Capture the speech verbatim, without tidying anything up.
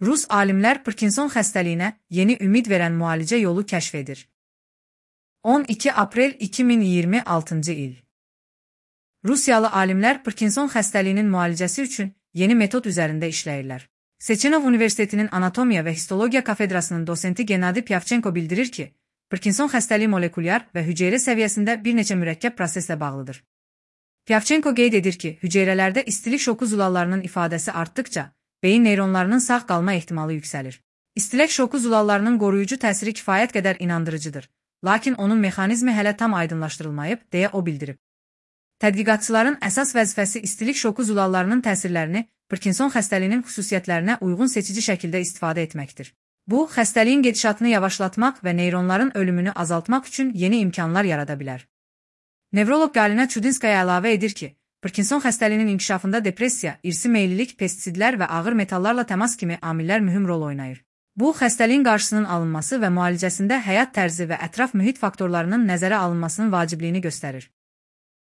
Rus alimlər Parkinson xəstəliyinə yeni ümid verən müalicə yolu kəşf edir. on iki aprel iki min iyirmi altıncı il. Rusiyalı alimlər Parkinson xəstəliyinin müalicəsi üçün yeni metod üzərində işləyirlər. Sechenov Universitetinin Anatomiya və Histologiya kafedrasının dosenti Gennady Pyavchenko bildirir ki, Parkinson xəstəliyi molekulyar və hüceyrə səviyyəsində bir neçə mürəkkəb proseslə bağlıdır. Pyavchenko qeyd edir ki, hüceyrələrdə istilik şoku zulallarının ifadəsi artdıqca, beyin neyronlarının sağ qalma ehtimalı yüksəlir. İstilək şoku zulallarının qoruyucu təsiri kifayət qədər inandırıcıdır, lakin onun mexanizmi hələ tam aydınlaşdırılmayıb, deyə o bildirib. Tədqiqatçıların əsas vəzifəsi istilik şoku zulallarının təsirlərini Parkinson xəstəliyinin xüsusiyyətlərinə uyğun seçici şəkildə istifadə etməkdir. Bu, xəstəliyin gedişatını yavaşlatmaq və neyronların ölümünü azaltmaq üçün yeni imkanlar yarada bilər. Nevroloq Galina Chudinskaya əlavə edir ki, Parkinson xəstəliyinin inkişafında depressiya, irsi meyillilik, pestisidlər və ağır metallarla təmas kimi amillər mühüm rol oynayır. Bu, xəstəliyin qarşısının alınması və müalicəsində həyat tərzi və ətraf mühit faktorlarının nəzərə alınmasının vacibliyini göstərir.